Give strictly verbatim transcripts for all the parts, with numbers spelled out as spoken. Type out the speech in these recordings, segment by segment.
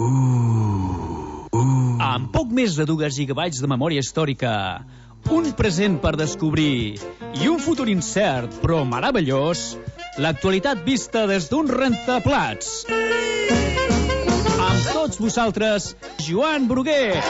Uh, uh. Amb poc més de dues gigabytes de memòria històrica, un present per descobrir i un futur incert però meravellós, l'actualitat vista des d'un rentaplats. Amb tots vosaltres, Joan Brugués.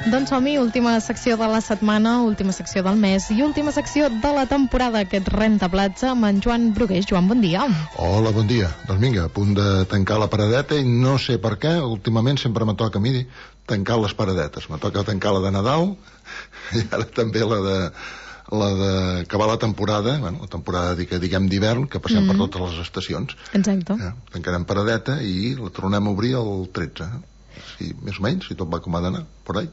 Doncs som-hi, última secció de la setmana, última secció del mes i última secció de la temporada, aquest rentaplats amb en Joan Brugués. Joan, bon dia. Hola, bon dia. Doncs vinga, a punt de tancar la paradeta i no sé per què, últimament sempre me toca a mi tancar les paradetes. Me toca tancar la de Nadal i ara també la de la d'acabar la temporada, bueno, la temporada diguem d'hivern, que passem mm-hmm. per totes les estacions. Exacte. Ja, tancarem paradeta i la tornem a obrir el tretze. Sí, més o menys, si tot va com ha d'anar, por ahí.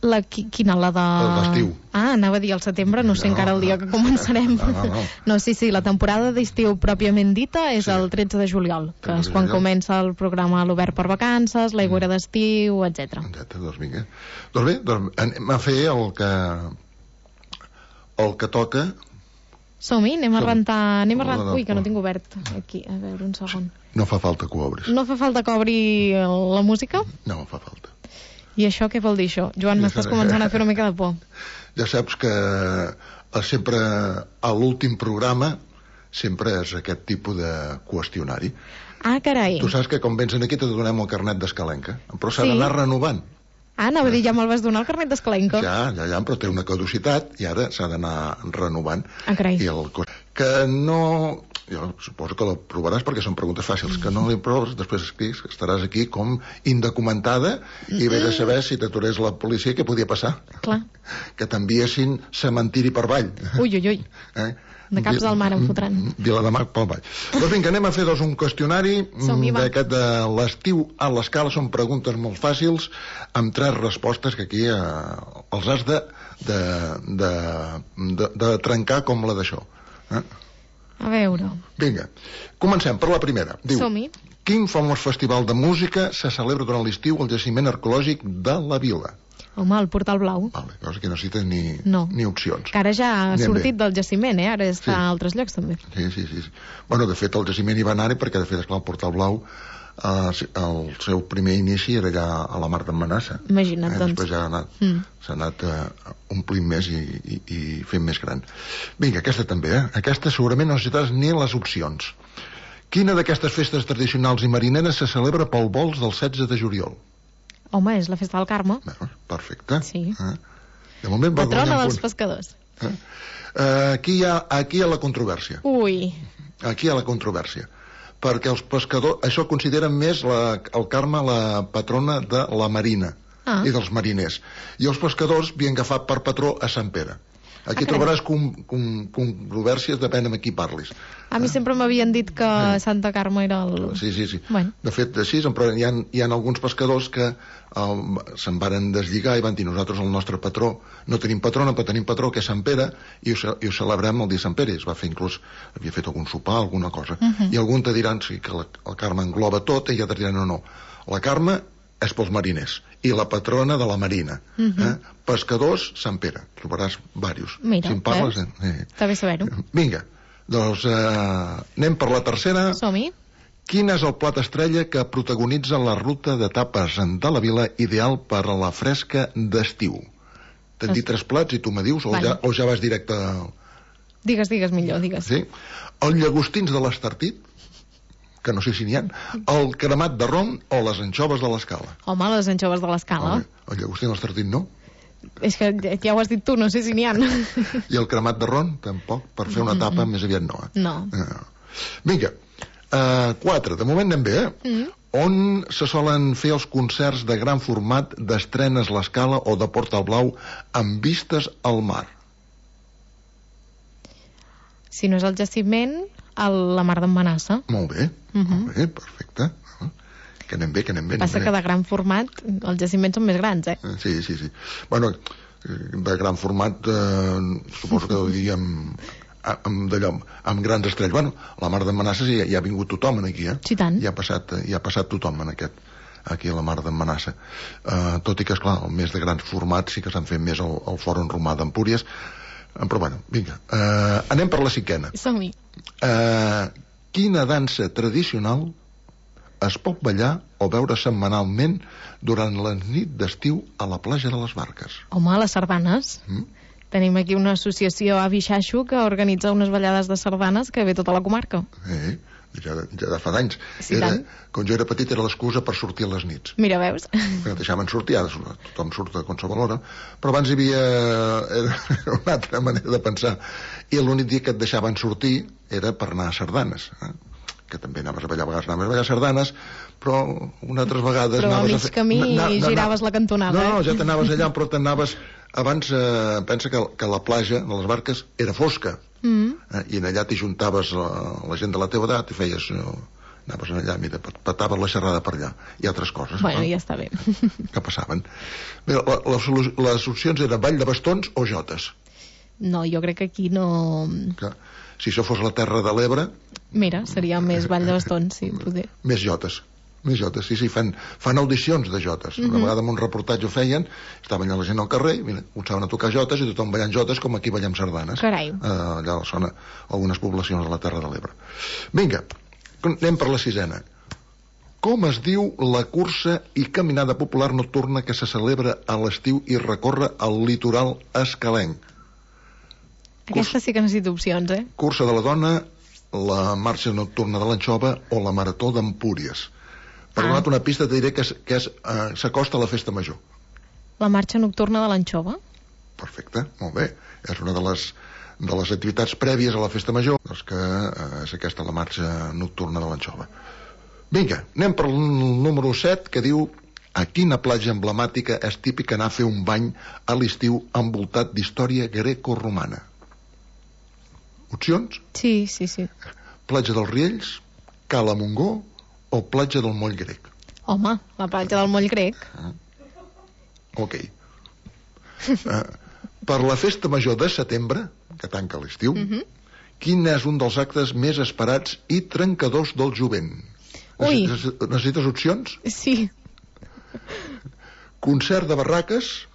La, quina, la de... L'estiu. Ah, anava a dir al setembre, no sé no, encara el dia no, que començarem. No, no, no. no, sí, sí, la temporada d'estiu pròpiament dita és sí. el tretze de juliol, que és quan comença el programa l'Obert per Vacances, l'aigüera mm. d'estiu, etcètera. Exacte, doncs vinga. Doncs bé, doncs anem a fer el que... el que toca... Som-hi, anem a rentar... Anem a rentar... Ui, que no tinc obert aquí. A veure, un segon. No fa falta que ho obris. No fa falta que obri la música? No fa falta. I això què vol dir, això? Joan, ja m'estàs començant a fer una mica de por. Ja saps que sempre a l'últim programa sempre és aquest tipus de qüestionari. Ah, carai. Tu saps que quan vens aquí te donem el carnet d'escalenca, però s'ha sí. d'anar renovant. Ah, anava a dir, ja me'l vas donar el carnet d'escalenca. Ja, ja, ja, però té una caducitat i ara s'ha d'anar renovant. Ah, carai. I el... Que no... Jo suposo que la provaràs perquè són preguntes fàcils, que no li proves, després escrius que estaràs aquí com indocumentada i ve de saber si t'aturés la policia què podia passar. Clar. Que t'enviessin cementiri per avall. Ui, ui, ui. Eh? De caps del mar em fotran. Vilademar pel vall. Doncs vinga, anem a fer doncs un qüestionari d'aquest de l'estiu a l'escala. Són preguntes molt fàcils amb tres respostes que aquí eh, els has de, de, de, de, de trencar com la d'això. Eh? A veure. Vinga, comencem per la primera. Diu, som-hi. Quin famós festival de música se celebra durant l'estiu al jaciment arqueològic de la Vila? Home, el Portal Blau. Vale, llavors aquí no necessites ni, no. ni opcions. Que ara ja ha Anem sortit bé. del jaciment, eh? Ara està sí. a altres llocs també. Sí, sí, sí. Bueno, de fet, el jaciment hi va anar-hi perquè, de fet, esclar, el Portal Blau eh, el seu primer inici era allà a la Mar d'en Manassa. Imagina't, eh? doncs. Després ja ha anat, mm. s'ha anat eh, omplint més i, i, i fent més gran. Vinga, aquesta també, eh? Aquesta segurament no necessites ni les opcions. Quina d'aquestes festes tradicionals i marineres se celebra pel vols del setze de juliol? Home, és la festa del Carme. Bé, perfecte. Sí. Eh? De moment va patrona dels punt. pescadors. Eh? Eh, aquí, hi ha, aquí hi ha la controvèrsia. Ui. Aquí hi ha la controvèrsia. Perquè els pescadors, això consideren més la, el Carme la patrona de la marina ah. i dels mariners. I els pescadors havien agafat per patró a Sant Pere. Aquí ah, trobaràs com, com, controvèrsies, depèn amb qui parlis. A mi sempre m'havien dit que eh. Santa Carme era el... Sí, sí, sí. Bueno. De fet, així, però hi ha, hi ha alguns pescadors que eh, se'n varen deslligar i van dir, nosaltres el nostre patró, no tenim patrona, però tenim patró, que és Sant Pere, i ho, i ho celebrem el dia Sant Pere. Es va fer inclús, havia fet algun sopar, alguna cosa. Uh -huh. I algun te diran, sí, que la, el Carme engloba tot, i altres diran, no, no. La Carme és pels mariners i la patrona de la marina. Uh -huh. eh? Pescadors, Sant Pere. Trobaràs diversos. Mira, si en parles, eh? Eh. Està bé saber-ho. Vinga, doncs eh, anem per la tercera. Som-hi. Quin és el plat estrella que protagonitza la ruta d'etapes de la Vila ideal per a la fresca d'estiu? T'han es... dit tres plats i tu me dius, o, vale. ja, o ja vas directe... Digues, digues millor, digues. Sí? El llagostins de l'Estartit, que no sé si n'hi ha, el cremat de rom o les anxoves de l'Escala. Home, les anxoves de l'Escala. Home, el llagostí de l'Estartit no. És que ja ho has dit tu, no sé si n'hi ha. I el cremat de rom, tampoc, per fer una tapa, mm-hmm. més aviat no. Eh? No. no. Vinga, uh, quatre, de moment anem bé, eh? Mm. On se solen fer els concerts de gran format d'Estrenes l'Escala o de Portal Blau amb vistes al mar? Si no és el jaciment, a la Mar d'en Manassa. Molt bé, uh-huh. molt bé, perfecte. Uh, que anem bé, que anem bé. Passa anem que bé. De gran format, els jaciments són més grans, eh? Sí, sí, sí. Bueno, de gran format, eh, suposo que ho diríem amb, d'allò, amb grans estrells. Bueno, a la Mar d'en Manassa ja, ja ha vingut tothom aquí, eh? Sí, tant. Ja ha passat, ja ha passat tothom en aquest, aquí a la Mar d'en Manassa. Uh, tot i que, esclar, el més de grans formats sí que s'han fet més al, al Fòrum Romà d'Empúries. Però bueno, vinga, uh, anem per la cinquena. Som-hi. Uh, quina dansa tradicional es pot ballar o veure setmanalment durant la nit d'estiu a la platja de les Barques. Home, les sardanes. Mm? Tenim aquí una associació Avi Xaixo que organitza unes ballades de sardanes que ve tota la comarca. Eh, ja, ja de fa d'anys. Sí, era, tant. quan jo era petit era l'excusa per sortir a les nits. Mira, veus? Que deixaven sortir, ara tothom surt a qualsevol hora, però abans hi havia era una altra manera de pensar. I l'únic dia que et deixaven sortir era per anar a sardanes. Eh? Que també anaves a ballar, a vegades anaves a ballar sardanes, però unes altres vegades... Però a mig a fer... camí na, na, giraves la cantonada, no, eh? No, ja t'anaves allà, però t'anaves... Abans, eh, pensa que, que la platja de les Barques era fosca, mm. eh, i en allà t'hi juntaves la, la gent de la teva edat i feies... Eh, anaves allà, mira, petaves la xerrada per allà, i altres coses. Bueno, no? ja està bé. Que passaven. Bé, la, les, les opcions eren ball de bastons o jotes. No, jo crec que aquí no... Que, si això fos la Terra de l'Ebre... Mira, seria més ball de bastons, sí, poder. Més jotes. Més jotes, sí, sí, fan, fan audicions de jotes. Mm -hmm. Una vegada en un reportatge ho feien, estaven allà la gent al carrer, mira, començaven a tocar jotes i tothom ballant jotes com aquí ballem sardanes. Carai. Eh, allà a la zona, algunes poblacions de la Terra de l'Ebre. Vinga, anem per la sisena. Com es diu la cursa i caminada popular nocturna que se celebra a l'estiu i recorre el litoral escalenc? Aquesta sí que necessita opcions, eh? Cursa de la dona, la marxa nocturna de l'Anxova o la marató d'Empúries. Per donar-te una pista, te diré que, és, que és, uh, s'acosta a la festa major. La marxa nocturna de l'Anxova? Perfecte, molt bé. És una de les, de les activitats prèvies a la festa major, doncs que uh, és aquesta la marxa nocturna de l'Anxova. Vinga, anem per el número set, que diu: a quina platja emblemàtica és típic anar a fer un bany a l'estiu envoltat d'història greco-romana? Opcions? Sí, sí, sí. Platja dels Riells, Cala Montgó o platja del Moll Grec? Home, la platja del Moll Grec. Ah. Ok. uh, per la festa major de setembre, que tanca l'estiu, uh -huh. quin és un dels actes més esperats i trencadors del jovent? Ui. Necessites, necessites opcions? Sí. Concert de barraques,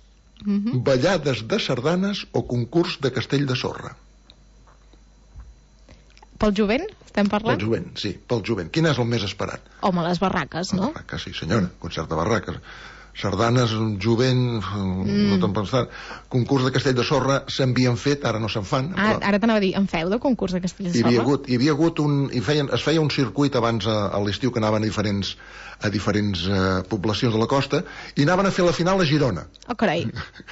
uh -huh. ballades de sardanes o concurs de castell de sorra? Pel jovent, estem parlant? Pel jovent, sí, pel jovent. Quin és el més esperat? Home, les barraques, no? Barraques, sí, senyora, concert de barraques. Sardanes, jovent, mm. no te'n pensar. Concurs de castell de sorra s'havien fet, ara no se'n fan. Ah, però... Ara t'anava a dir, en feu de concurs de castell de sorra? Hi havia hagut, hi havia hagut un... Hi feien, es feia un circuit abans a, a l'estiu que anaven a diferents, a diferents eh, poblacions de la costa i anaven a fer la final a Girona. Oh, carai.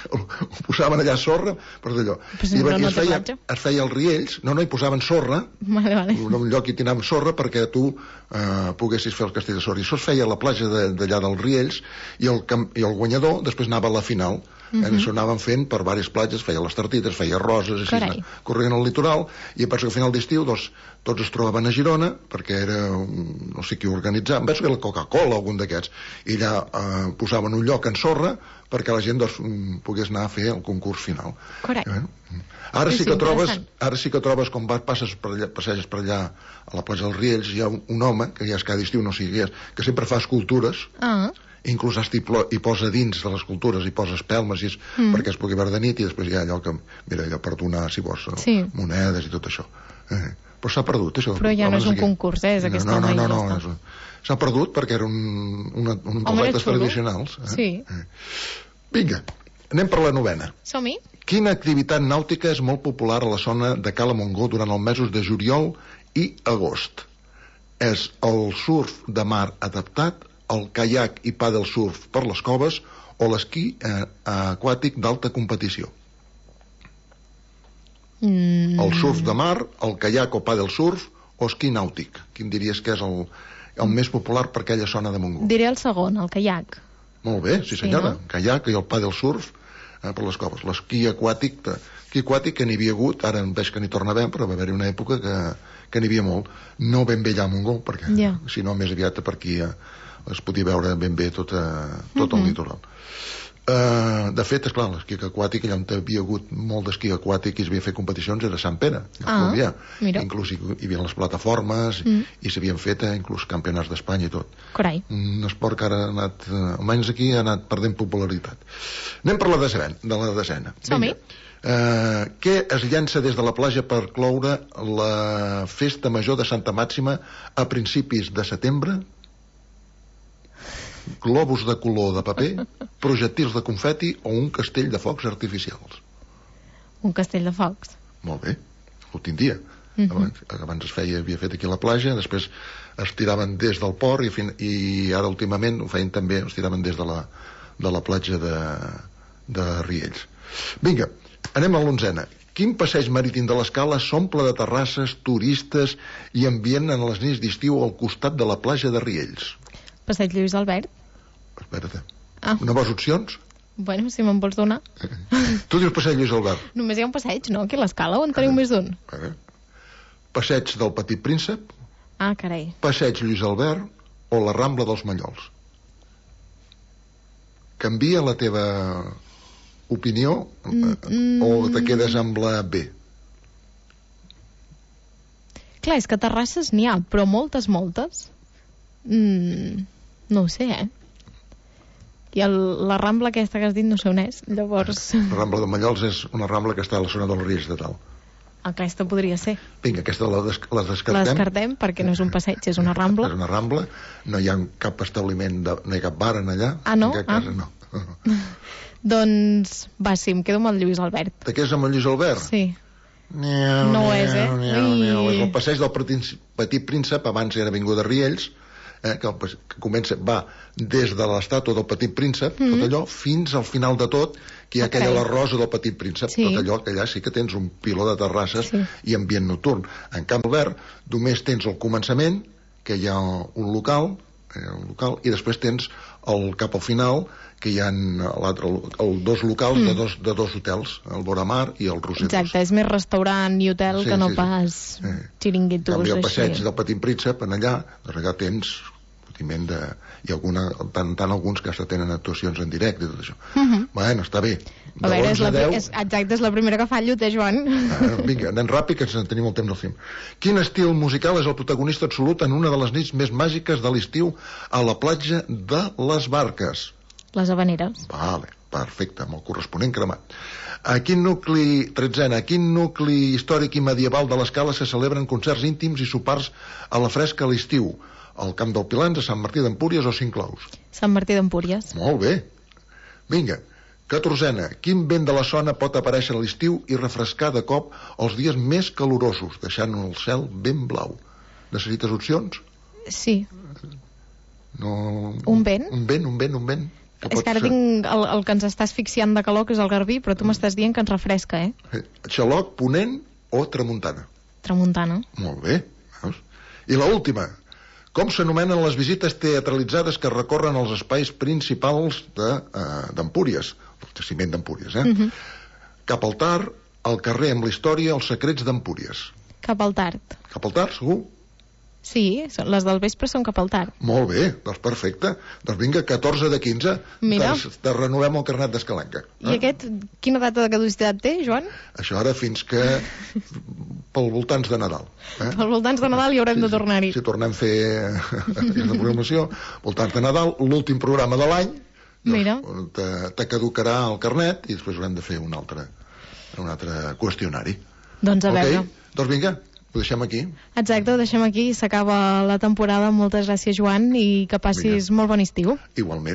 Ho, ho posaven allà sorra, per d'allò. Pues I, no, i no es, feia, platja. es feia els riells, no, no, hi posaven sorra, vale, vale. en un lloc hi tiraven sorra perquè tu eh, poguessis fer el castell de sorra. I això es feia a la platja d'allà dels riells i el, i el guanyador després anava a la final. Uh -huh. eh, això anaven fent per diverses platges, feia les Tartites, feia Roses, així, corrent al litoral, i penso que al final d'estiu doncs, tots es trobaven a Girona, perquè era, un, no sé qui organitzava, penso que era la Coca-Cola o algun d'aquests, i allà eh, posaven un lloc en sorra perquè la gent doncs, pogués anar a fer el concurs final. Correcte. Eh? Ara sí, sí que trobes, ara sí que trobes, quan vas, passes per allà, passeges per allà a la platja dels Riells, hi ha un, un home, que ja és cada estiu, no sigui, és, que sempre fa escultures, ah. inclús hi posa dins de les escultures, hi posa espelmes i és, mm. perquè es pugui veure de nit, i després hi ha allò que, mira, allò per donar, si vols, sí. monedes i tot això. Eh, però s'ha perdut, això. Però ja no és un concurs, eh? És no, aquesta no, no, no, no, no, no s'ha perdut perquè era un, una, un dels actes tradicionals. Eh? Sí. Eh. Vinga, anem per la novena. Som-hi. Quina activitat nàutica és molt popular a la zona de Cala Montgó durant els mesos de juliol i agost? És el surf de mar adaptat, el caiac i pàdel surf per les coves o l'esquí eh, aquàtic d'alta competició? Mm. El surf de mar, el caiac o pàdel surf o esquí nàutic? Quin diries que és el, el més popular per aquella zona de Montgó? Diré el segon, el caiac. Molt bé, sí senyora, sí, no? Caiac i el pàdel surf eh, per les coves. L'esquí aquàtic, l'esquí aquàtic que n'hi havia hagut, ara veig que n'hi torna a haver, però va haver-hi una època que, que n'hi havia molt. No ben bé allà a Montgó, perquè yeah. si no més aviat per aquí eh, es podia veure ben bé tot, eh, tot uh -huh. el litoral. Uh, de fet, esclar, l'esquí aquàtic, allà on hi havia hagut molt d'esquí aquàtic i es havia fet competicions era Sant Pere, ah, inclús hi, hi havia les plataformes mm. i s'havien fet eh, inclús campionats d'Espanya i tot. Carai. Un esport que ara ha anat, eh, almenys aquí ha anat perdent popularitat. Anem per la desena, de la desena. Som-hi. Uh, què es llença des de la platja per cloure la festa major de Santa Màxima a principis de setembre? globus de color de paper, projectils de confeti o un castell de focs artificials? Un castell de focs. Molt bé, l'últim dia. Mhm. Abans, abans es feia, havia fet aquí a la platja, després es tiraven des del port i, fin, i ara últimament ho feien també, es tiraven des de la, de la platja de, de Riells. Vinga, anem a l'onzena. Quin passeig marítim de l'Escala s'omple de terrasses, turistes i ambient en les nits d'estiu al costat de la platja de Riells? Passeig Lluís Albert. Espera't. Ah. Una vols opcions? Bueno, si me'n vols donar. Tu dius passeig Lluís Albert. Només hi ha un passeig, no? Aquí a l'Escala, on teniu més d'un? Passeig del Petit Príncep, Ah, carai. passeig Lluís Albert o la Rambla dels Mallols. Canvia la teva opinió Mm, o te quedes amb la B? Clar, és que terrasses n'hi ha, però moltes, moltes. Mm, no ho sé, eh? I el, la Rambla aquesta que has dit no sé on és, llavors... La Rambla de Mallols és una rambla que està a la zona dels Riells de Dalt. Aquesta podria ser. Vinga, aquesta la, des la descartem. La descartem perquè no és un passeig, és una Rambla. És una rambla, no hi ha cap establiment, de, no hi ha cap bar en allà. Ah, no? En aquest cas, Ah. no. Doncs, va, sí, em quedo amb el Lluís Albert. Te quedes amb el Lluís Albert? Sí. Niau, No ho és, eh? niau, niau, niau. Ui. És el passeig del Petit, Petit Príncep, abans era Avinguda Riells, eh, que, el, pas- que comença, va des de l'estàtua del Petit Príncep, mm -hmm. tot allò, fins al final de tot, que hi ha Ok. aquella la rosa del Petit Príncep, Sí. tot allò, que allà sí que tens un piló de terrasses Sí. i ambient nocturn. En Camp Albert només tens el començament, que hi ha un local, eh, un local i després tens el, cap al final, que hi ha l'altre, el, dos locals Mm. de, dos, de dos hotels, el Voramar i el Roser. Exacte, és més restaurant i hotel Sí, que no sí, sí. pas Sí. xiringuitos. En canvi, el passeig així. del Petit Príncep, en allà, doncs allà tens patiment de... i alguna, tant, tant alguns que hasta tenen actuacions en directe i tot això. Mhm. Bueno, està bé. A veure, és la, deu... és, exacte, és la primera que fallo, té, Joan. Ah, vinga, anem ràpid, que ens tenim el temps del film. Quin estil musical és el protagonista absolut en una de les nits més màgiques de l'estiu a la platja de les Barques? Les Havaneres. Vale, perfecte, amb el corresponent cremat. A quin nucli, tretzena, a quin nucli històric i medieval de l'Escala se celebren concerts íntims i sopars a la fresca a l'estiu? Al Camp del Pilans, a Sant Martí d'Empúries o Cinclaus? Sant Martí d'Empúries. Molt bé. Vinga, catorzena, quin vent de la zona pot aparèixer a l'estiu i refrescar de cop els dies més calorosos, deixant el cel ben blau? Necessites opcions? Sí. No... Un vent? Un vent, un vent, un vent. Que És pot que ara ser? tinc el, el que ens està asfixiant de calor, que és el garbí, però tu m'estàs dient que ens refresca, eh? Eh, Xaloc, ponent o tramuntana? Tramuntana. Molt bé. Veus? I la última. Com s'anomenen les visites teatralitzades que recorren els espais principals d'Empúries? De, uh, el jaciment d'Empúries, eh? Uh -huh. Cap al Tard, al carrer amb la història, els secrets d'Empúries. Cap al tard. Cap al Tard, segur? Sí, són- les del vespre són cap al tard. Molt bé, doncs perfecte. Doncs vinga, catorze de quinze. Mira. Te, te renovem el carnet d'Escalenca. I aquest, quina data de caducitat té, Joan? Això ara fins que... pel voltants de Nadal. Eh? Als voltants de Nadal hi haurem de tornar-hi. Si tornem a fer aquesta programació, voltants de Nadal, l'últim programa de l'any, Mira. doncs, te, te caducarà el carnet i després haurem de fer un altre, un altre qüestionari. Doncs a Ok? veure. Doncs vinga, ho deixem aquí. Exacte, ho deixem aquí, s'acaba la temporada. Moltes gràcies, Joan, i que passis Vinga. molt bon estiu. Igualment.